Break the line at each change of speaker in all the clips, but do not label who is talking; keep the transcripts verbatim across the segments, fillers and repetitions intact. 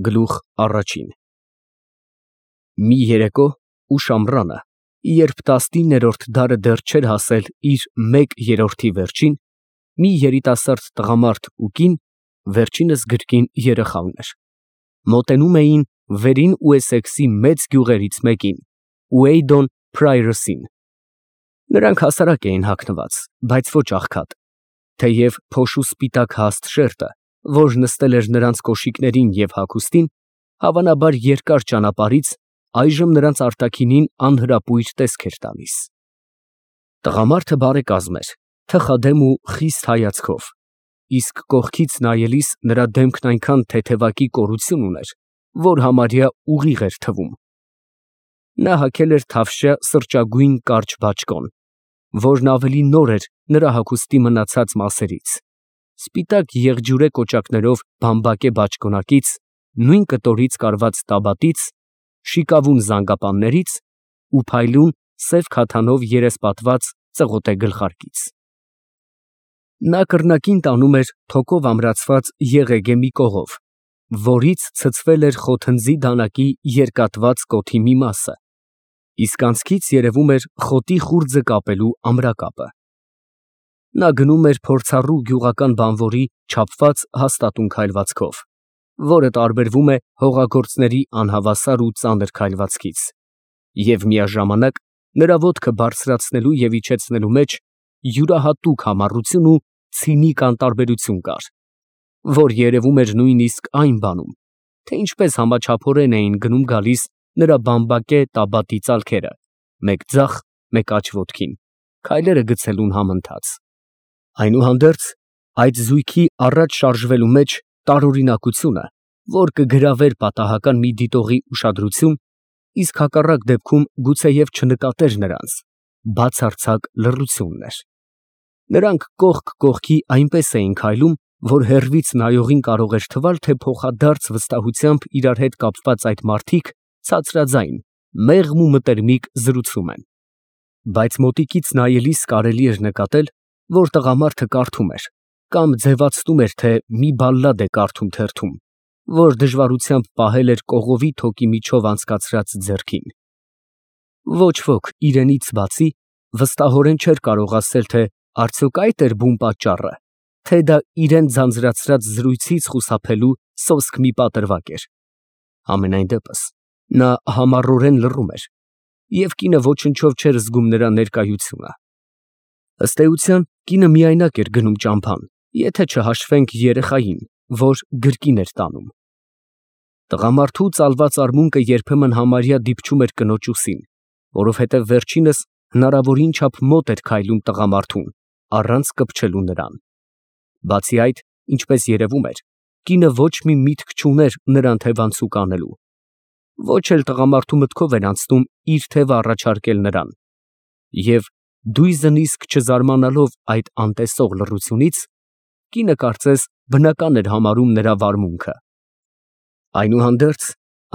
Գլուխ առաջին Մի երեկո ուշ ամռանը, երբ տասնիններորդ դարը դեռ չէր հասել իր մեկ երրորդի վերջին, մի երիտասարդ տղամարդ ու կին (վերջինս գրքին երեխա ուներ) մոտենում էին Վերին Ուեսեքսի մեծ գյուղերից մեկին, Ուեյդոն Փրայրըսին. նրանք հասարակ էին հագնված, բայց ոչ աղքատ, թեև փոշու սպիտակ հաստ շերտը, որ նստել էր նրանց կոշիկներին և հագուստին, հավանաբար երկար ճանապարհից, այժմ նրանց արտաքինին անհրապույր տեսք էր տալիս։ Տղամարդը բարեկազմ էր, թխադեմ ու խիստ հայացքով, իսկ կողքից նայելիս նրա դեմքն այնքան թեթևակի կորություն ուներ, որ համարյա ուղիղ էր թվում։ Նա հագել էր թավշյա սրճագույն կարճ բաճկոն, որն ավելի նոր էր նրա հագուստի մնացած մասերից, սպիտակ եղջյուրե կոճակներով բամբակե բաճկոնակից, նույն կտորից կարված տաբատից, շիկավուն զանգապաններից ու փայլուն սև քաթանով երեսպատված ծղոտե գլխարկից։ Նա կռնակին տանում էր թոկով ամրացված եղեգե մի կողով, որից ցցվել էր խոթնձի դանակի երկատված կոթի մի մասը, իսկ անցքից երևում էր խոտի խուրձը կապելու ամրակապը։ Նա գնում էր փորձառու գյուղական բանվորի չափված հաստատուն քայլվածքով, որը տարբերվում է հողագործների անհավասար ու ծանր քայլվածքից, և միաժամանակ նրա ոտքը բարձրացնելու և իջեցնելու մեջ յուրահատուկ համառություն ու ցինիկ անտարբերություն կար, որ երևում էր նույնիսկ այն բանում, թե ինչպես համաչափորեն էին գնում֊գալիս նրա բամբակե տաբատի ծալքերը, մեկ ձախ, մեկ աջ ոտքին, քայլերը գցելուն համընթաց։ Այնուհանդերձ, այդ զույգի առաջ շարժվելու մեջ տարօրինակությունը, որ կգրավեր պատահական մի դիտողի ուշադրություն, իսկ հակառակ դեպքում գուցեև չնկատեր նրանց, բացարձակ լռությունն էր։ Նրանք կողք կողքի այնպես էին քայլում, որ հեռվից նայողին կարող էր թվալ, թե փոխադարձ վստահությամբ իրար հետ կապված այդ մարդիկ ցածրաձայն, մեղմ ու մտերմիկ զրուցում են։ Բայց մոտիկից նայելիս կարելի էր նկատել, որ տղամարդը կարդում էր կամ ձևացնում էր, թե մի բալլադ է կարդում թերթում, որ դժվարությամբ պահել էր կողովի թոկի միջով անցկացրած ձեռքին։ Ոչ ոք իրենից բացի վստահորեն չէր կարող ասել, թե արդյոք այդ էր բուն պատճառը, թե դա իրան ձանձրացրած զրույցից խուսափելու սոսկ մի պատրվակ էր։ Համենայն դեպս, նա համառորեն լռում էր, և կինը ոչնչով չէր զգում նրա ներկայությունը։ Ըստ էության, կինը միայնակ էր գնում ճամփան, եթե չհաշվենք երեխային, որ գրկին էր տանում։ Տղամարդու ծալված արմունկը երբեմն համարյա դիպչում էր կնոջ ուսին, որովհետև վերջինս հնարավորին չափ մոտ էր քայլում տղամարդուն, առանց կպչելու նրան։ Բացի այդ, ինչպես երևում էր, կինը ոչ մի միտք չուներ նրան թևանցուկ անելու, ոչ էլ տղամարդու մտքով էր անցնում իր թևը առաջարկել նրան, և դույզն իսկ չզարմանալով այդ անտեսող լռությունից, կինը կարծես բնական էր համարում նրա վարմունքը։ Այնուհանդերձ,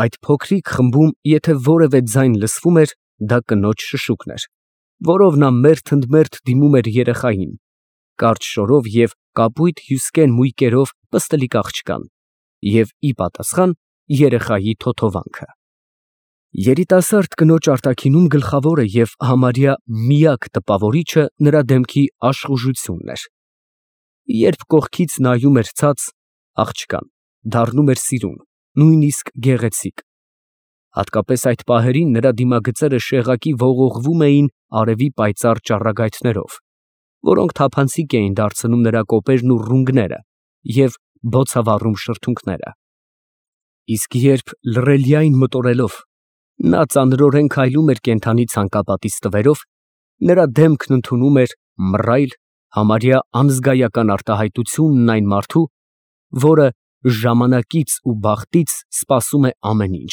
այդ փոքրիկ խմբում եթե որևէ ձայն լսվում էր, դա կնոջ շշուկն էր, որով նա մերթ-ընդմերթ դիմում էր երեխային, կարճ շորով և կապույտ հյուսկեն մույկերով պստլիկ աղջկան, և ի պատասխան երեխայի թոթովանքը։ Երիտասարդ կնոջ արտաքինում գլխավորը և համարյա միակ տպավորիչը նրա դեմքի աշխուժությունն էր։ Երբ կողքից նայում էր ցած, աղջկան դառնում էր սիրուն, նույնիսկ գեղեցիկ։ Հատկապես այդ պահերին նրա դիմագծերը շեղակի ողողվում էին արևի պայծառ ճառագայթներով, որոնք թափանցիկ էին դարձնում նրա կոպերն ու ռունգները և բոցավառում շրթունքները։ Իսկ երբ լռելիայն մտորելով, նա ծանրորեն քայլում էր կենդանի ցանկապատի ստվերով, նրա դեմքն ընդունում էր մռայլ, համարյա անզգայական արտահայտությունն այն մարդու, որը ժամանակից ու բախտից սպասում է ամեն ինչ,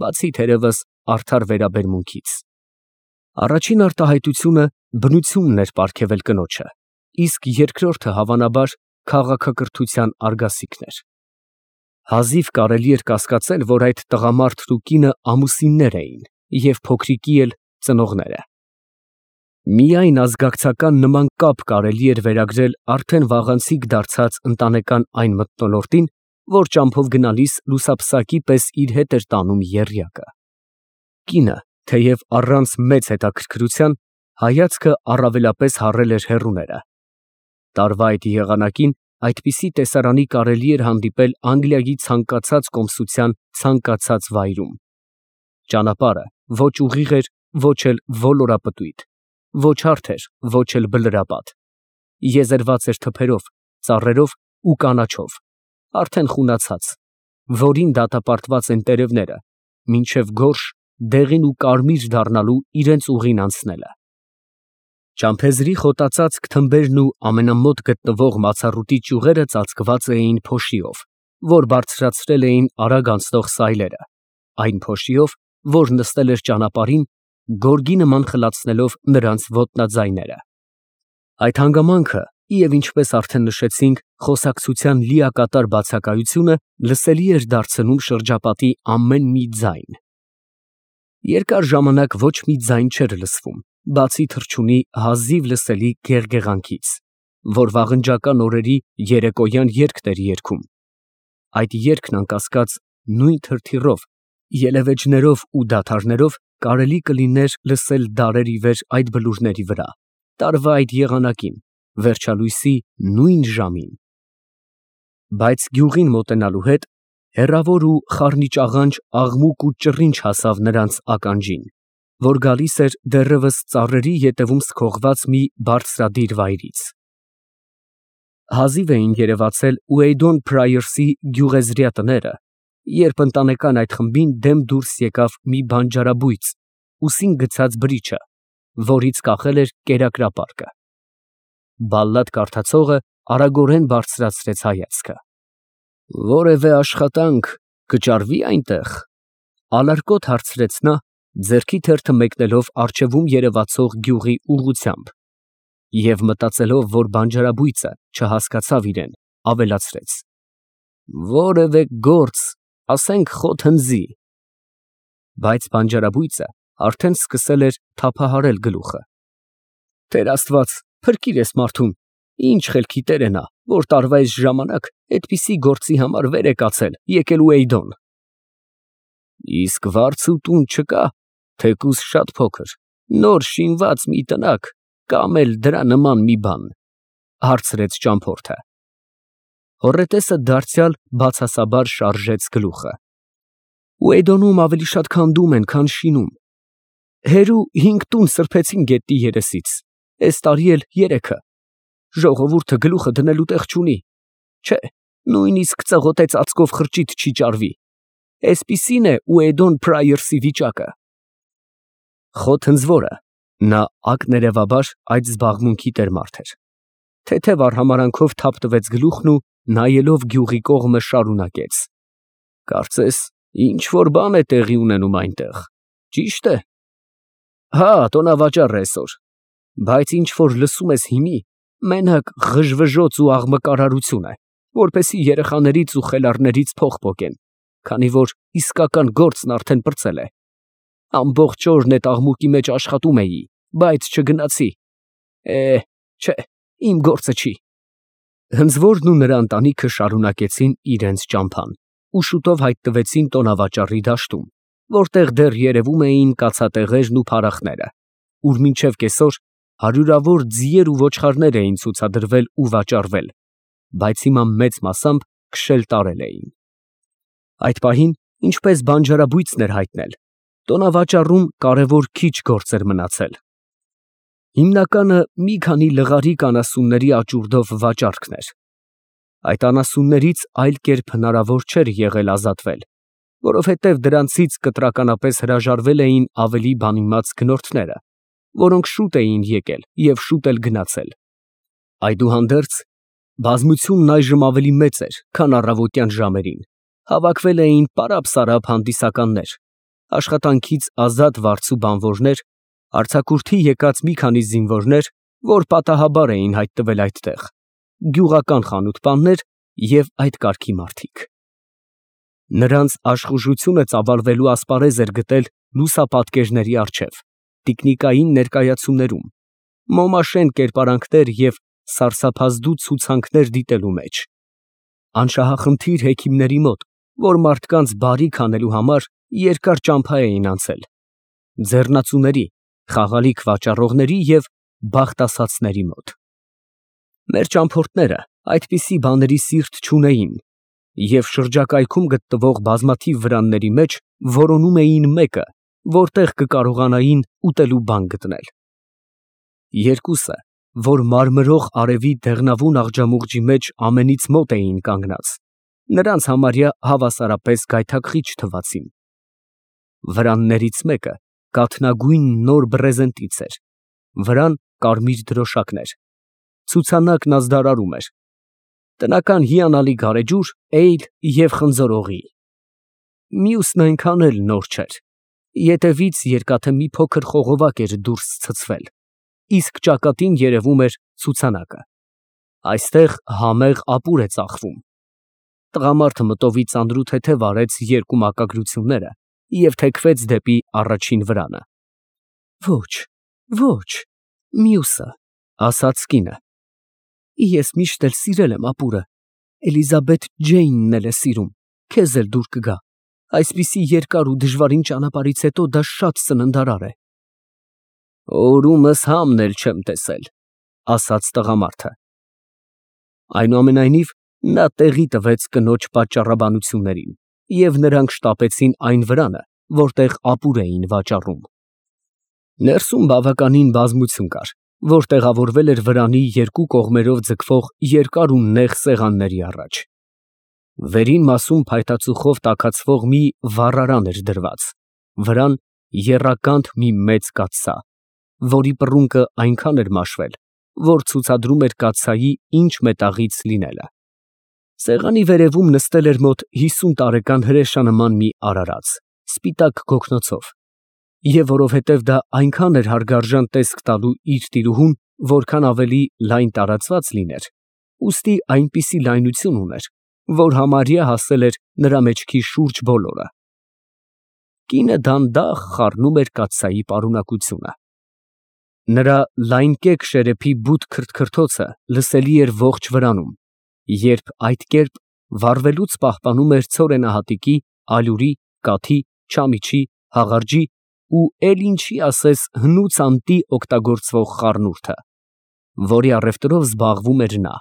բացի թերևս արդար վերաբերմունքից։ Առաջին արտահայտությունը բնությունն էր պարգևել կնոջը, իսկ երկրորդը հավանաբար քաղաքակրթության արգասիքն էր։ Հազիվ կարելի էր կասկածել, որ այդ տղամարդն ու կինը ամուսիններ էին և փոքրիկի էլ ծնողները։ Միայն ազգակցական նման կապ կարելի էր վերագրել արդեն վաղանցիկ դարձած ընտանեկան այն մթնոլորտին, որ ճամփով գնալիս լուսափսակի պես իր հետ էր տանում եռյակը։ Կինը, թեև առանց մեծ հետաքրքրության, հայացքը առավելապես հառել էր հեռուները։ Տարվա այդ եղանակին այդպիսի տեսարանի կարելի էր հանդիպել Անգլիայի ցանկացած կոմսության ցանկացած վայրում։ Ճանապարհը ոչ ուղիղ էր, ոչ էլ ոլորապտույտ, ոչ հարթ էր, ոչ էլ բլրապատ, եզերված էր թփերով, ծառերով ու կանաչով, արդեն խունացած, որին դատապարտված են տերևները, մինչև գորշ, դեղին ու կարմիր դառնալու իրենց ուղին անցնելը։ Ճամփեզրի խոտածածկ թմբերն ու ամենամոտ գտնվող մացառուտի ճյուղերը ծածկված էին փոշիով, որ բարձրացրել էին արագ անցնող սայլերը, այն փոշիով, որ նստել էր ճանապարհին, գորգի նման խլացնելով նրանց ոտնաձայները։ Այդ հանգամանքը, և ինչպես արդեն նշեցինք, խոսակցության լիակատար բացակայությունը լսելի էր դարձնում շրջապատի ամեն մի ձայն։ Երկար ժամանակ ոչ մի ձայն չէր լսվում, բացի թռչունի հազիվ լսելի գեղգեղանքից, որ վաղնջական օրերի երեկոյան երգն էր երգում։ Այդ երգն անկասկած նույն թրթիռով, ելևէջներով ու դադարներով կարելի կլիներ լսել դարեր ի վեր այդ բլուրների վրա, տարվա այդ եղանակին, վերջալույսի նույն ժամին։ Բայց գյուղին մոտենալու հետ հեռավոր ու խառնիճաղանճ աղմուկ ու ճռինչ հասավ նրանց ականջին, որ գալիս էր դեռևս ծառերի ետևում սքողված մի բարձրադիր վայրից։ Հազիվ էին երևացել Ուեյդոն Փրայերսի գյուղեզրյա տները, երբ ընտանեկան այդ խմբին դեմ դուրս եկավ մի բանջարաբույծ, ուսին գցած բրիչը, որից կախել էր կերակրապարկը։ Բալլադ կարդացողը արագորեն բարձրացրեց հայացքը։ «Որևէ աշխատանք կճարվի այնտեղ», ալարկոտ հարցրեց նա, ձեռքի թերթը մեկնելով առջևում երևացող գյուղի ուղղությամբ, և մտածելով, որ բանջարաբույծը չհասկացավ իրեն, ավելացրեց. «Որևէ գործ, ասենք խոտ հնձի»։ Բայց բանջարաբույծը արդեն սկսել էր թափահարել գլուխը։ «Տեր Աստված, փրկիր էս մարդուն, ինչ խելքի տեր է նա, որ տարվա այս ժամանակ այդպիսի գործի համար վեր է կացել, եկել Ուեյդոն»։ «Իսկ վարձ ու տուն չկա, թեկուզ շատ փոքր, նոր շինված մի տնակ, կամ էլ դրա նման մի բան», հարցրեց ճամփորդը։ Հոռետեսը դարձյալ բացասաբար շարժեց գլուխը։ «Ուեյդոնում ավելի շատ քանդում են, քան շինում։ Հերու հինգ տուն սրբեցին գետնի երեսից, էս տարի էլ երեքը։ Ժողովուրդը գլուխը դնելու տեղ չունի, չէ, նույնիսկ ծղոտե ծածկով խրճիթ չի ճարվի։ Էսպիսին է Ուեյդոն Փրայերսի վիճակը»։ Խոտ հնձվորը, նա ակներևաբար այդ զբաղմունքի տերմարդ էր, թեթև արհամարանքով թափ տվեց գլուխն ու նայելով գյուղի կողմը շարունակեց. «Կարծես ինչ֊որ բան է տեղի ունենում այնտեղ, ճի՞շտ է»։ «Հա, տոնավաճառ է էսօր, բայց ինչ֊որ լսում ես հիմի, մենակ ղժվժոց ու աղմկարարություն է, որպեսզի երեխաներից ու խելառներից փող պոկեն, քանի որ իսկական գործն արդեն պրծել է։ Ամբողջ օրն էդ աղմուկի մեջ աշխատում էի, բայց չգնացի։ Է, չէ, իմ գործը չի»։ Հնձվորն ու նրա ընտանիքը շարունակեցին իրենց ճամփան ու շուտով հայտնվեցին տոնավաճառի դաշտում, որտեղ դեռ երևում էին կացատեղերն ու փարախները, ուր մինչև կեսօր հարյուրավոր ձիեր ու ոչխարներ էին ցուցադրվել ու վաճառվել, բայց հիմա մեծ մասամբ քշել տարել էին։ Այդ պահին, ինչպես բանջարաբույծն էր հայտնել, տոնավաճառում կարևոր քիչ գործ էր մնացել։ Հիմնականը մի քանի լղարիկ անասունների աճուրդով վաճառքն էր։ Այդ անասուններից այլ կերպ հնարավոր չէր եղել ազատվել, որովհետև դրանցից կտրականապես հրաժարվել էին ավելի բանիմաց գնորդները, որոնք շուտ էին եկել և շուտ էլ գնացել։ Այդուհանդերձ, բազմությունն այժմ ավելի մեծ էր, քան առավոտյան ժամերին, հավաքվել էին պարապ֊սարապ հանդիսականներ, աշխատանքից ազատ վարձու բանվորներ, արձակուրդի եկած մի քանի զինվորներ, որ պատահաբար էին հայտնվել այդտեղ, գյուղական խանութպաններ և այդ կարգի մարդիկ։ Նրանց աշխուժությունը ծավալվելու ասպարեզ էր գտել լուսապատկերների առջև, տիկնիկային ներկայացումներում, մոմաշեն կերպարանքներ և սարսափազդու ցուցանքներ դիտելու մեջ։ անշահախնդիր հեքիմների մոտ, որ մարդկանց բարիք անելու համար երկար ճամփա էին անցել, ձեռնածուների, խաղալիք վաճառողների և բախտ ասածների մոտ։ Մեր ճամփորդները այդպիսի բաների սիրտ չունեին և շրջակայքում գտնվող բազմաթիվ վրանների մեջ որոնում էին մեկը, որտեղ կկարողանային ուտելու բան գտնել։ Երկուսը, որ մարմրող արևի դեղնավուն աղջամուղջի մեջ ամենից մոտ էին կանգնած, նրանց համարյա հավասարապես գայթակղիչ թվացին։ Վրաններից մեկը կաթնագույն նոր բռեզենտից էր, վրան կարմիր դրոշակներ, ցուցանակն ազդարարում էր, տնական հիանալի գարեջուր, էյլ և խնձորողի։ Մյուսն այնքան էլ նոր չէր, ետևից երկաթե մի փոքր խողովակ էր դուրս ցցվել, իսկ ճակատին երևում էր ցուցանակը։ Այստեղ համեղ ապուր է ծախվում։ Տղամարդը մտովի ծանրութեթև արեց երկու մակագրությունները և թեքվեց դեպի առաջին վրանը։ Ոչ, ոչ, մյուսը, ասաց կինը։ Ես միշտ էլ սիրել եմ ապուրը, Էլիզաբեթ Ջեյնն էլ է սիրում, քեզ էլ դուր կգա, այսպիսի երկար ու դժվարին ճանապարհից հետո դա շատ սննդարար է։ Օրումս համն էլ չեմ տեսել, ասաց տղամարդը։ Այնուամենայնիվ, նա տեղի տվեց կնոջ պատճառաբանություններին, և նրանք շտապեցին այն վրանը, որտեղ ապուր էին վաճառում։ Ներսում բավականին բազմություն կար, որ տեղավորվել էր վրանի երկու կողմերով ձգվող երկար ու նեղ սեղանների առաջ։ Վերին մասում փայտածուխով տաքացվող մի վառարան էր դրված, վրան եռականդ մի մեծ կաթսա, որի պռունկը այնքան էր մաշվել, որ ցուցադրում էր կաթսայի ինչ մետաղից լինելը։ Սեղանի վերևում նստել էր մոտ հիսուն տարեկան հրեշանման մի արարած, սպիտակ գոգնոցով, և որովհետև դա այնքան էր հարգարժան տեսք տալու իր տիրուհուն, որքան ավելի լայն տարածված լիներ, ուստի այնպիսի լայնություն ուներ, որ համարյա հասել էր նրա մեջքի շուրջ բոլորը։ Կինը դանդաղ խառնում էր կաթսայի պարունակությունը։ Նրա լայնկեկ շերեփի բութ քրթքրթոցը լսելի էր ողջ վրանում, երբ այդ կերպ վառվելուց պահպանում էր ցորենահատիկի, ալյուրի, կաթի, չամիչի, հաղարջի ու էլ ինչի ասես հնուց անտի օգտագործվող խառնուրդը, որի առևտրով զբաղվում էր նա։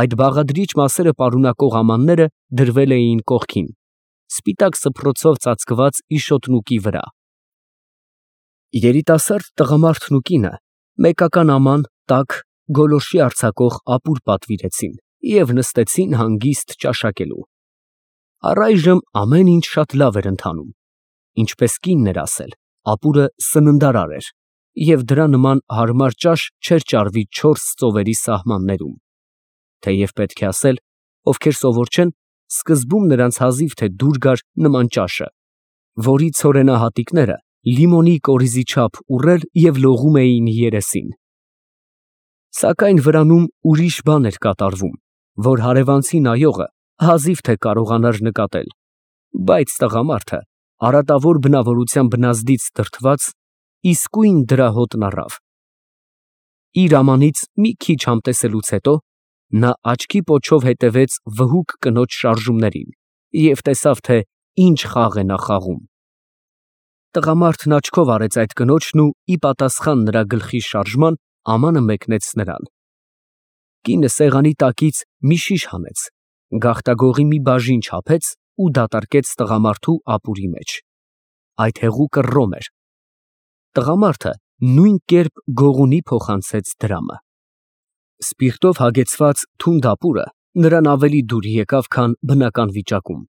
Այդ բաղադրիչ մասերը պարունակող ամանները դրվել էին կողքին, սպիտակ սփռոցով ծածկված իշոտնուկի վրա։ Երիտասարդ տղամարդն ու կինը մեկական աման, տաք, գոլորշի արձակող ապուր պատվիրեցին և նստեցին հանգիստ ճաշակելու։ Առայժմ ամեն ինչ շատ լավ էր ընթանում, ինչպես կինն էր ասել, ապուրը սննդարար էր, և դրա նման հարմար ճաշ չէր ճարվի չորս ծովերի սահմաններում, թեև պետք է ասել, ովքեր սովոր չեն, սկզբում նրանց հազիվ թե դուր գար նման ճաշը, որի ցորենահատիկները լիմոնի կորիզի չափ ուռել և լողում էին երեսին։ Սակայն վրանում ուրիշ բան էր կատարվում, որ հարևանցի նայողը հազիվ թե կարողանար նկատել, բայց տղամարդը, արատավոր բնավորության բնազդից դրդված, իսկույն դրա հոտն առավ։ Իր ամանից մի քիչ համտեսելուց հետո նա աչքի պոչով հետևեց վհուկ կնոջ շարժումներին և տեսավ, թե ինչ խաղ է նա խաղում։ Տղամարդն աչքով արեց այդ կնոջն ու ի պատասխան նրա գլխի շարժման ամանը մեկնեց նրան։ Կինը սեղանի տակից մի շիշ հանեց, գաղտագողի մի բաժին չափեց ու դատարկեց տղամարդու ապուրի մեջ։ Այդ հեղուկը ռոմ էր։ Տղամարդը նույն կերպ գողունի փոխանցեց դրամը։ Սպիրտով հագեցված թունդ ապուրը նրան ավելի դուր եկավ, քան բնական վիճակում։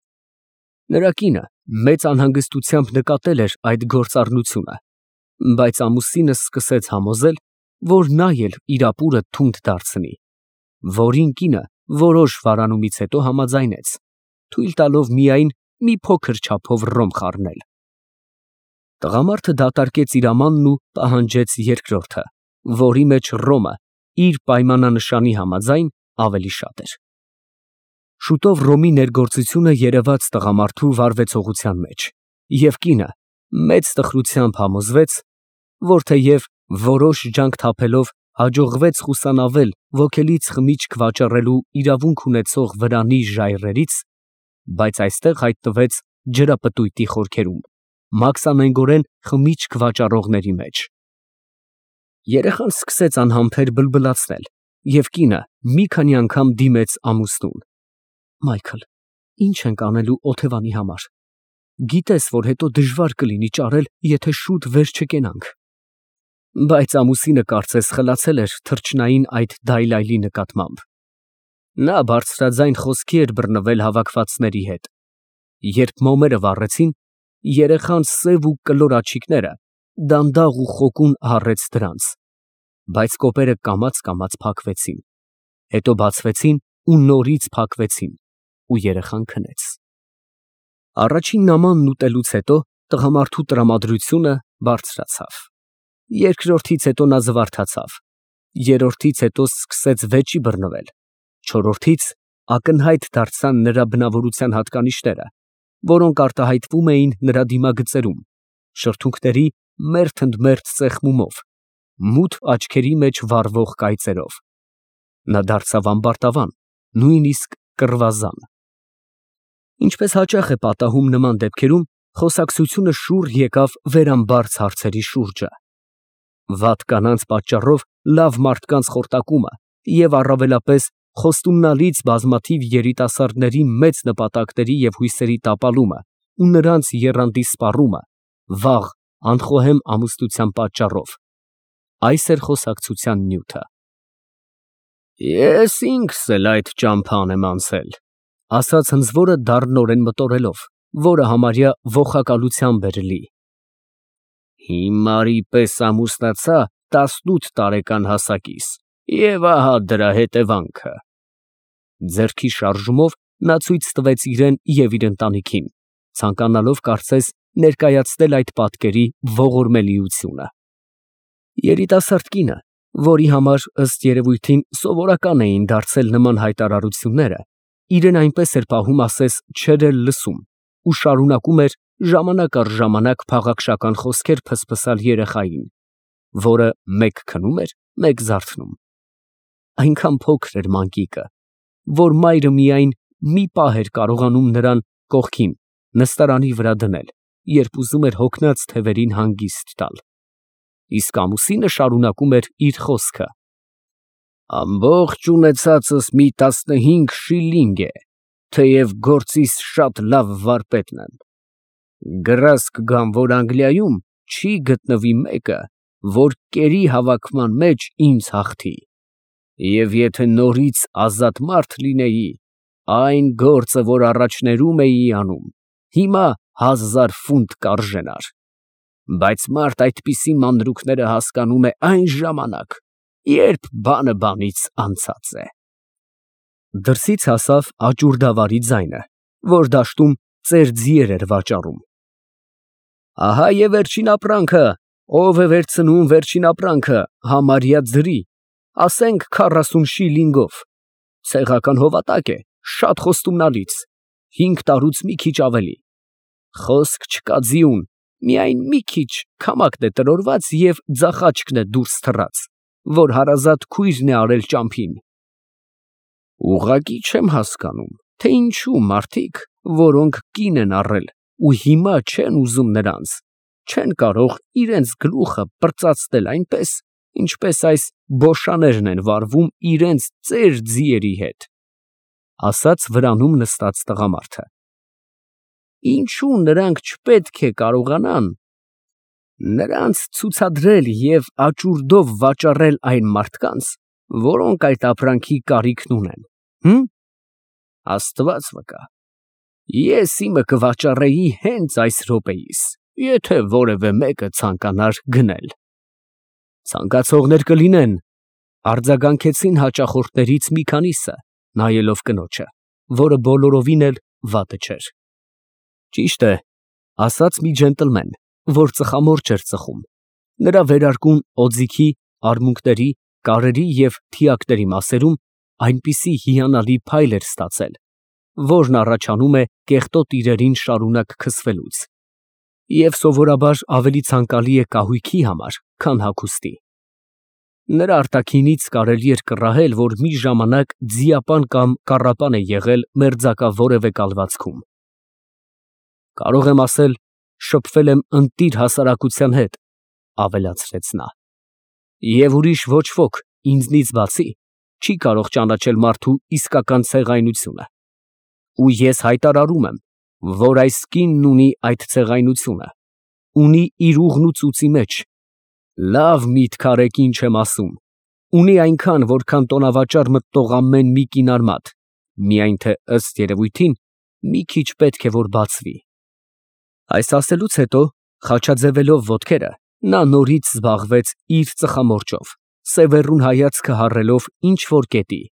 Նրա կինը մեծ անհանգստությամբ նկատել էր այդ գործառնությունը, բայց ամուսինը սկսեց համոզել, որ նա էլ իր ապուրը թունդ դարձնի, որին կինը որոշ վարանումից հետո համաձայնեց, թույլ տալով միայն մի փոքր չափով ռոմ խառնել։ Տղամարդը դատարկեց իր ամանն ու պահանջեց երկրորդը, որի մեջ ռոմը իր պայմանանշանի համաձայն ավելի շատ էր։ Շուտով ռոմի ներգործությունը երևաց տղամարդու վարվեցողության մեջ, և կինը մեծ տխրությամբ համոզվեց, որ թեև որոշ ջանք թափելով հաջողվեց խուսանավել ոգելից խմիչք վաճառելու իրավունք ունեցող վրանի ժայռերից, բայց այստեղ հայտնվեց ջրապտույտի խորքերում, մաքսանենգորեն խմիչք վաճառողների մեջ։ Երեխան սկսեց անհամբեր բլբլացնել, և կինը մի քանի անգամ դիմեց ամուսնուն։ Մայքլ, ի՞նչ ենք անելու օթևանի համար։ Գիտես, որ հետո դժվար կլինի ճարել, եթե շուտ վեր չկենանք։ Բայց ամուսինը կարծես խլացել էր թռչնային այդ դայլայլի նկատմամբ։ Նա բարձրաձայն խոսքի էր բռնվել հավաքվածների հետ։ Երբ մոմերը վառեցին, երեխան սև ու կլոր աչիկները դանդաղ ու խոկուն հառեց դրանց, բայց կոպերը կամաց֊կամաց փակվեցին, հետո բացվեցին ու նորից փակվեցին, ու երեխան քնեց։ Առաջին նամանն ուտելուց հետո տղամարդու տրամադրությունը բարձրացավ։ Երկրորդից հետո նա զվարթացավ, երրորդից հետո սկսեց վեճի բռնվել, չորրորդից ակնհայտ դարձան նրա բնավորության հատկանիշները, որոնք արտահայտվում էին նրա դիմագծերում, շրթունքների մերթ ընդ մերթ սեղմումով, մութ աչքերի մեջ վառվող կայծերով։ Նա դարձավ ամբարտավան, նույնիսկ կռվազան։ Ինչպես հաճախ է պատահում նման դեպքերում, խոսակցությունը շուռ եկավ վերամբարձ հարցերի շուրջը։ Վատ կանանց պատճառով լավ մարդկանց խորտակումը և առավելապես խոստումնալից բազմաթիվ երիտասարդների մեծ նպատակների և հույսերի տապալումը ու նրանց եռանդի սպառումը վաղ անխոհեմ ամուսնության պատճառով, այս էր խոսակցության նյութը։ Ես ինքս էլ այդ ճամփան եմ անցել, ասաց հնձվորը դառնորեն մտորելով, որը համարյա ոխակալությամբ էր լի։ Հիմարի պես ամուսնացա տասնութ տարեկան հասակիս, և ահա դրա հետևանքը։ Ձեռքի շարժումով նա ցույց տվեց իրեն և իր ընտանիքին, ցանկանալով կարծես ներկայացնել այդ պատկերի ողորմելիությունը։ Երիտասարդ կինը, որի համար ըստ երևույթին սովորական էին դարձել նման հայտարարությունները, իրեն այնպես էր պահում, ասես չէր էլ լսում, ու շարունակում էր ժամանակ առ ժամանակ փաղաքշական խոսքեր փսփսալ երեխային, որը մեկ քնում էր, մեկ զարթնում։ Այնքան փոքր էր մանկիկը, որ մայրը միայն մի պահ էր կարողանում նրան կողքին նստարանի վրա դնել, երբ ուզում էր հոգնած թևերին հանգիստ տալ։ Իսկ ամուսինը շարունակում էր իր խոսքը. Ամբողջ ունեցածս մի տասնհինգ շիլինգ է, թեև գործիս շատ լավ վարպետն եմ։ Գրազ կգամ, որ Անգլիայում չի գտնվի մեկը, որ կերի հավաքման մեջ ինձ հաղթի, և եթե նորից ազատ մարդ լինեի, այն գործը, որ առաջներում էի անում, հիմա հազար ֆունտ կարժենար, բայց մարդ այդպիսի մանրուքները հասկանում է այն ժամանակ, երբ բանը բանից անցած է։ Դրսից հասավ աճուրդավարի ձայնը, որ դաշտում ծեր ձիեր էր վաճառում։ Ահա և վերջին ապրանքը, ով է վերցնում վերջին ապրանքը, համարյա ձրի, ասենք քառասուն շիլինգով, ցեղական հովատակ է, շատ խոստումնալից, հինգ տարուց մի քիչ ավելի, խոսք չկա ձիուն, միայն մի քիչ քամակն է տրորված և ձախաչքն է դուրս թռած, որ հարազատ քույրն է արել ճամփին։ Ուղղակի չեմ հասկանում, թե ինչու մարդիկ, որոնք կին են առել ու հիմա չեն ուզում նրանց, չեն կարող իրենց գլուխը պրծացնել այնպես, ինչպես այս բոշաներն են վարվում իրենց ծեր ձիերի հետ, ասաց վրանում նստած տղամարդը։ Ինչու նրանք չպետք է կարողանան նրանց ցուցադրել և աճուրդով վաճառել այն մարդկանց, որոնք այդ ապրանքի կարիքն ունեն, հը՞մ։ Աստված վկա, ես իմը կվաճառեի հենց այս րոպեիս, եթե որևէ մեկը ցանկանար գնել։ Ցանկացողներ կլինեն, արձագանքեցին հաճախորդներից մի քանիսը, նայելով կնոջը, որը բոլորովին էլ վատը չէր։ Ճիշտ է, ասաց մի ջենտլմեն, որ ծխամորճ էր ծխում, նրա վերարկուն օձիքի, արմունկների, կարերի և թիակների մասերում այնպիսի հիանալի փայլ էր ստացել, որն առաջանում է կեղտոտ իրերին շարունակ քսվելուց, և սովորաբար ավելի ցանկալի է կահույքի համար, քան հագուստի։ Նրա արտաքինից կարելի էր կռահել, որ մի ժամանակ ձիապան կամ կառապան է եղել մերձակա որևէ կալվածքում։ Կարող եմ ասել, շփվել եմ ընտիր հասարակության հետ, ավելացրեց նա, և ուրիշ ոչ ոք ինձնից բացի չի կարող ճանաչել մարդու իսկական ցեղայնությունը, ու ես հայտարարում եմ, որ այս կինն ունի այդ ցեղայնությունը, ունի իր ուղն ու ծուծի մեջ, լավ միտք արեք ինչ եմ ասում, ունի այնքան, որքան տոնավաճառ մտնող ամեն մի կին արմատ, միայն թե ըստ երևույթին մի քիչ պետք է որ բացվի։ Այս ասելուց հետո, խաչաձևելով ոտքերը, նա նորից զբաղվեց իր ծխամորճով, սևեռուն հայացքը հառելով ինչ որ կետի։